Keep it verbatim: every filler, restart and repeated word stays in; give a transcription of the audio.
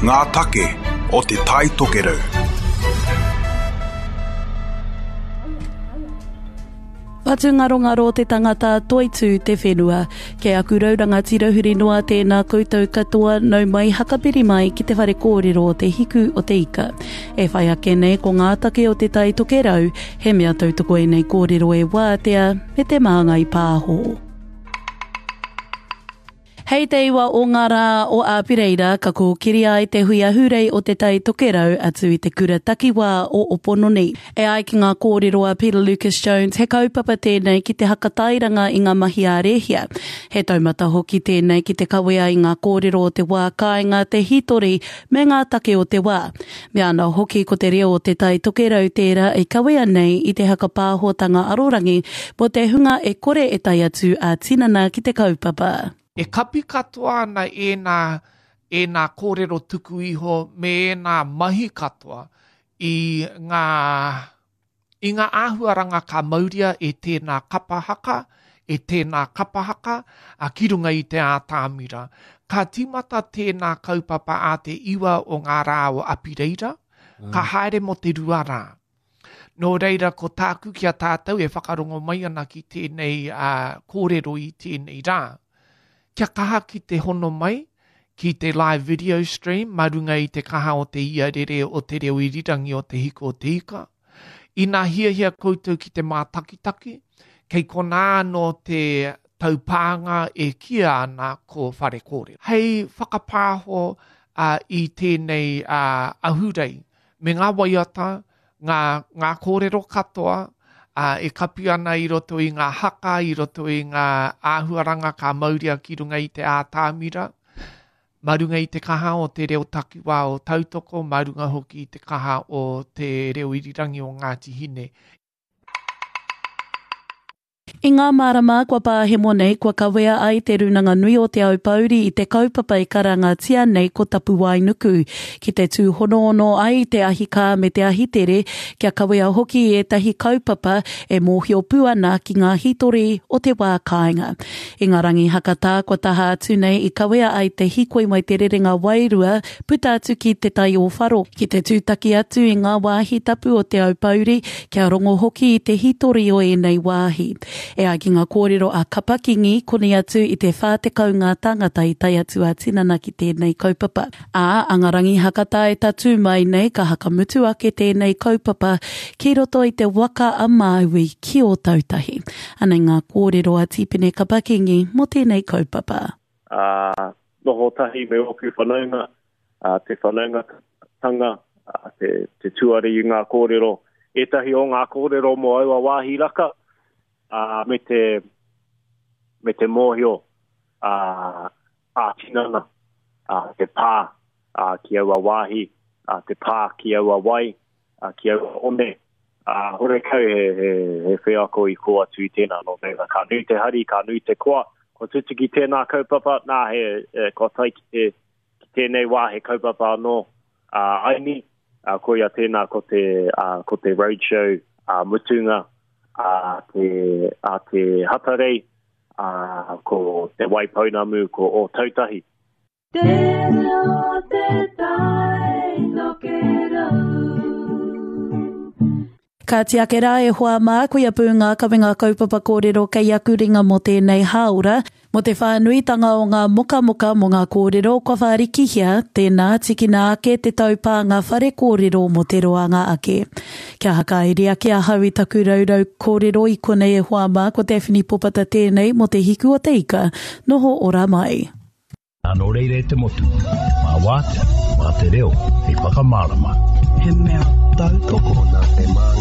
Ngā take o Te Tai Tokerau. Whatungarongaro te tangata, toitū te whenua. Kei aku rau rangatira huri noa tēnā koutou katoa, nau mai hakapiri mai ki te whare kōrero o Te Hiku o te Ika. E whai ake nei ko ngā take o Te Tai Tokerau, he mea tautoko ēnei kōrero e Wātea me Te Māngai Pāho. Hei te iwa o ngā rā o Āpereira ka kōkiri ai te hui ahurei o Te Tai Tokerau atu i te kura takiwā o Opononi. E ai ki ngā kōrero a Peter Lucas Jones, he kaupapa tēnei ki te hakatairanga i ngā mahi ā-rēhia. He taumata hoki tēnei ki te kawea i ngā kōrero o te wā kāinga, te hītori me ngā take o te wā. Mea ana hoki ko te reo o Te Tai Tokerau tērā e kawea nei i te hakapāhotanga arorangi mō te hunga e kore e tae atu ā-tinana ki te kaupapa. E kapi katoa ana ēnā, ēnā kōrero tuku iho me ēnā mahi katoa i ngā, i ngā āhuaranga ka mauria e tēnā kapa haka, e tēnā kapa haka, a ki runga i te ātamira. Ka tīmata tēnā kaupapa a te iwa o ngā rā o Apireira, ka haere mō te rua rā. Nō reira ko tāku ki a tātou e whakarongo mai ana ki tēnei uh, kōrero i tēnei rā. Kia kaha ki te hono mai, ki te live video stream, mā runga i te kaha o te iarere o te reo irirangi o Te Hiku o te Ika. Ina hiahia koutou ki te mātakitaki, kei konā anō te taupānga e kīia ana ko Whare Kōrero. Hei whakapāho uh, i tēnei uh, ahurei, me ngā waiata, ngā, ngā kōrero katoa, Uh, e kapi ana i roto i ngā haka, i roto i ngā āhuaranga ka mauria ki runga i te ātamira, mā runga i te kaha o te reo takiwā o Tautoko, mā runga hoki i te kaha o te reo irirangi o Ngāti Hine. I ngā marama kua pāhemo nei, kua kawea ai te Rūnanga Nui o Te Aupōuri i te kaupapa i karangatia nei ko Tapuwaenuku, ki te tūhonoono ai te ahikā me te ahitere, kia kawea hoki i ētahi kaupapa e mōhio pū ana ki ngā hītori o te wā kāinga. I ngā rangi hakatā kua taha atu nei i kawea ai te hīkoi mai te rerenga wairua puta atu ki te tai o Wharo, ki te tūtaki atu i ngā wāhi tapu o Te Aupōuri, kia rongo hoki i te hītori o ēnei wāhi. E ai ki ngā kōrero a Kapa Kingi, koni atu i te whā tekau ngā tāngata i tae atu a tinana ki tēnei kaupapa. Ā, a ngā rangi hakatā e tatū mai nei ka hakamutu ake tēnei kaupapa ki roto i te waka a Māui ki Ōtautahi. Anei ngā kōrero a Tīpene Kapa Kingi mō tēnei kaupapa. Uh, noho tahi me ōku whanaunga, uh, te whanaungatanga, uh, te, te tuari i ngā kōrero, ētahi o ngā kōrero mō aua wāhi raka, uh, me te, me te mōhio uh, ā-tinana, uh, te pā uh, ki aua wāhi, uh, te pā ki aua wai, uh, ki aua one. Uh, horekau he, he, he wheako i kō atu i tēnā, nō reira, ka nui te hari, ka nui te koa, kua tutuki tēnā kaupapa, nā he, e, kua tae ki, te, ki tēnei wā he kaupapa anō uh, aini, uh, koia tēnā ko te, uh, ko te roadshow uh, mutunga a te, a te Hatarei, uh, ko te Waipounamu, ko Ōtautahi. Te reo te tai tokerau. Ka tiake rā e hoa mā, koia pū ngā kawenga kaupapa kōrero kei aku ringa mō tēnei hāora. Mō te whānuitanga o ngā mokamoka mō ngā kōrero kua whārikihia, tēnā tikina ake te taupānga whare kōrero mō te roanga ake. Kia hakairi ake ahau i taku raurau kōrero i konei e hoa mā, ko Daphne Popata tēnei mō Te Hiku o te Ika. Noho ora mai. Nō reira e te motu, mā wātea, mā te reo, hei whakamārama. He mea tautoko. Nā te Māngai.